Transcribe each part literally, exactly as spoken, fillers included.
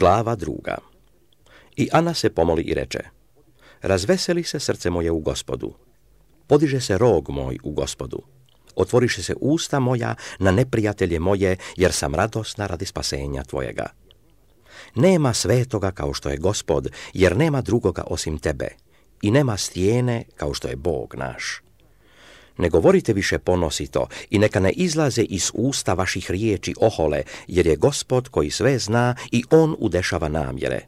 Glava druga. I Ana se pomoli i reče: razveseli se srce moje u Gospodu, podiže se rog moj u Gospodu, otvoriše se usta moja na neprijatelje moje, jer sam radosna radi spasenja tvojega. Nema svetoga kao što je Gospod, jer nema drugoga osim tebe, i nema stijene kao što je Bog naš. Ne govorite više ponosito i neka ne izlaze iz usta vaših riječi ohole, jer je Gospod koji sve zna i on udešava namjere.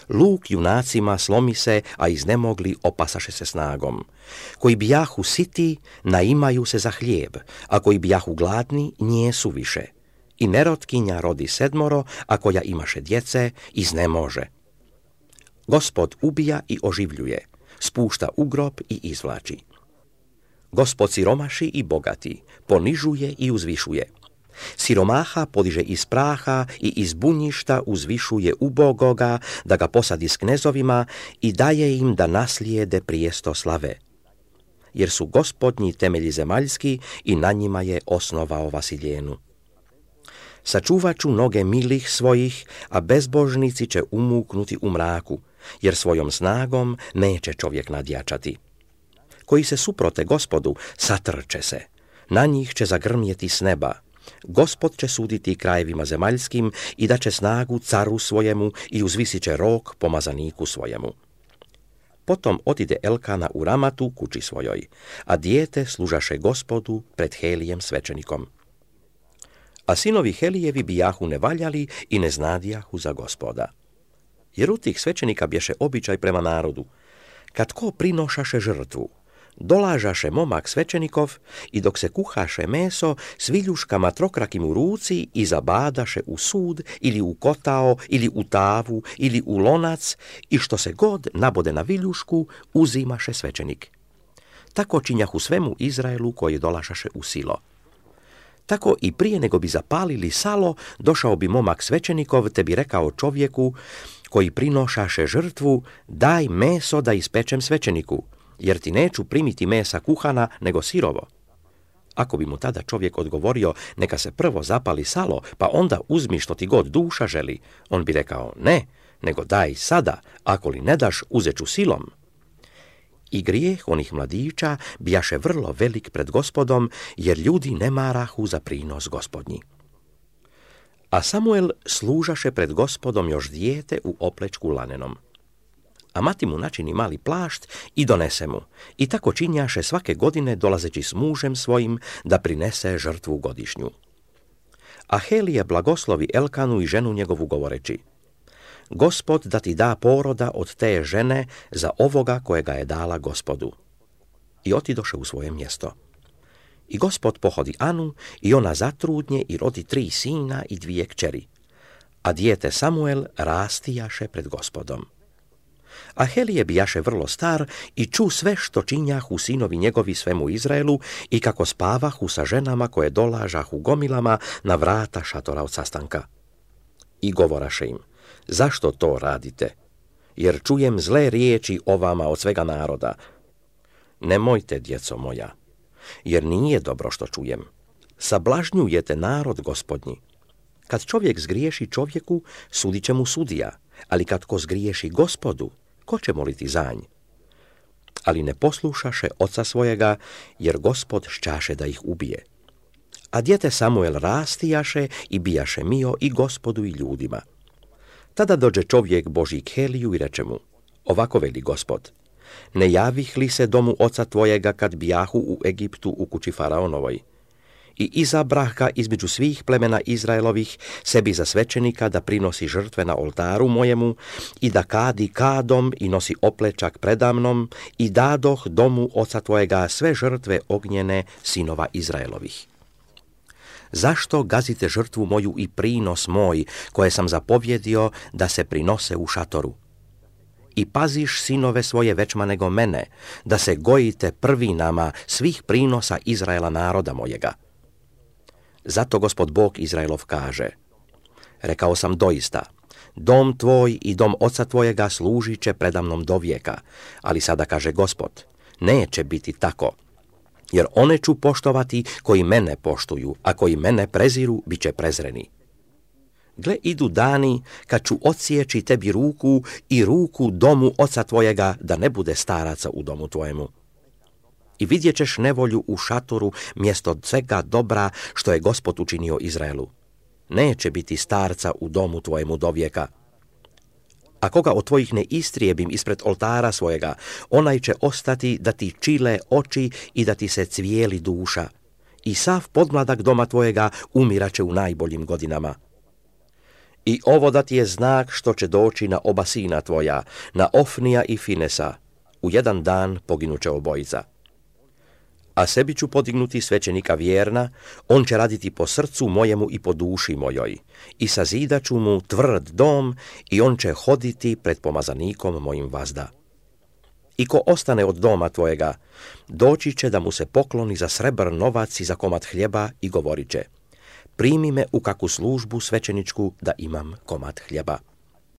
Luk junacima slomi se, a iznemogli opasaše se snagom. Koji bijahu siti, naimaju se za hljeb, a koji bijahu gladni, njesu više. I nerotkinja rodi sedmoro, a koja imaše djece, iznemože. Gospod ubija i oživljuje, spušta u grob i izvlači. Gospod siromaši i bogati, ponižuje i uzvišuje. Siromaha podiže iz praha i iz bunjišta uzvišuje ubogoga, da ga posadi s knezovima i daje im da naslijede prijesto slave. Jer su Gospodnji temelji zemaljski i na njima je osnovao Vasiljenu. Sačuvat ću noge milih svojih, a bezbožnici će umuknuti u mraku, jer svojom snagom neće čovjek nadjačati. Koji se suprote Gospodu, satrče se, na njih će zagrmjeti s neba. Gospod će suditi krajevima zemaljskim i da će snagu caru svojemu i uzvisit će rog pomazaniku svojemu. Potom otide Elkana u Ramatu kući svojoj, a dijete služaše Gospodu pred Helijem svećenikom. A sinovi Helijevi bijahu nevaljali i ne znadijahu za Gospoda. Jer u tih svećenika bješe običaj prema narodu, kad ko prinošaše žrtvu, dolažaše momak svećenikov i dok se kuhaše meso s viljuškama trokrakim u ruci i zabadaše u sud ili u kotao ili u tavu ili u lonac i što se god nabode na viljušku uzimaše svećenik. Tako činjahu svemu Izraelu koji dolašaše u Silo. Tako i prije nego bi zapalili salo, došao bi momak svećenikov te bi rekao čovjeku koji prinošaše žrtvu: daj meso da ispečem svećeniku, jer ti neću primiti mesa kuhana, nego sirovo. Ako bi mu tada čovjek odgovorio: neka se prvo zapali salo, pa onda uzmi što ti god duša želi, on bi rekao: ne, nego daj sada, ako li ne daš, uzet ću silom. I grijeh onih mladića bijaše vrlo velik pred Gospodom, jer ljudi ne marahu za prinos Gospodnji. A Samuel služaše pred Gospodom još dijete u oplečku lanenom. A mati mu načini mali plašt i donese mu, i tako činjaše svake godine dolazeći s mužem svojim da prinese žrtvu godišnju. A Helije blagoslovi Elkanu i ženu njegovu govoreći: Gospod da ti da poroda od te žene za ovoga kojega je dala Gospodu. I otidoše u svoje mjesto. I Gospod pohodi Anu i ona zatrudnje i rodi tri sina i dvije kćeri. A dijete Samuel rastijaše pred Gospodom. A Helije bijaše vrlo star i ču sve što činjahu sinovi njegovi svemu Izraelu i kako spavahu sa ženama koje dolažahu gomilama na vrata šatora od sastanka. I govoraše im: zašto to radite? Jer čujem zle riječi o vama od svega naroda. Nemojte, djeco moja, jer nije dobro što čujem. Sablažnjujete narod Gospodnji. Kad čovjek zgriješi čovjeku, sudit će mu sudija, ali kad ko zgriješi Gospodu, ko će moliti za nj? Ali ne poslušaše oca svojega, jer Gospod šćaše da ih ubije. A dijete Samuel rastijaše i bijaše mio i Gospodu i ljudima. Tada dođe čovjek Božji k Heliju i reče mu: ovako veli Gospod, ne javih li se domu oca tvojega kad bijahu u Egiptu u kući faraonovoj? I izabrah ga između svih plemena Izraelovih sebi za svećenika da prinosi žrtve na oltaru mojemu i da kadi kadom i nosi oplečak predamnom i dadoh domu oca tvojega sve žrtve ognjene sinova Izraelovih. Zašto gazite žrtvu moju i prinos moj, koje sam zapovjedio da se prinose u šatoru? I paziš sinove svoje većma nego mene, da se gojite prvinama svih prinosa Izraela naroda mojega. Zato Gospod Bog Izraelov kaže: rekao sam doista, dom tvoj i dom oca tvojega služit će predamnom do vijeka, ali sada kaže Gospod, neće biti tako. Jer one ću poštovati koji mene poštuju, a koji mene preziru, bit će prezreni. Gle, idu dani kad ću odsjeći tebi ruku i ruku domu oca tvojega, da ne bude staraca u domu tvojemu. I vidjet ćeš nevolju u šatoru mjesto svega dobra što je Gospod učinio Izraelu. Neće biti starca u domu tvojemu dovijeka. A koga od tvojih ne istrijebim ispred oltara svojega, onaj će ostati da ti čile oči i da ti se cvijeli duša. I sav podmladak doma tvojega umiraće u najboljim godinama. I ovo da ti je znak što će doći na oba sina tvoja, na Ofnija i Finesa. U jedan dan poginuće obojica. A sebi ću podignuti svećenika vjerna, on će raditi po srcu mojemu i po duši mojoj. I sazidat ću mu tvrd dom i on će hoditi pred pomazanikom mojim vazda. I ko ostane od doma tvojega, doći će da mu se pokloni za srebr novac i za komad hljeba i govorit će: primi me u kakvu službu svećeničku da imam komad hljeba.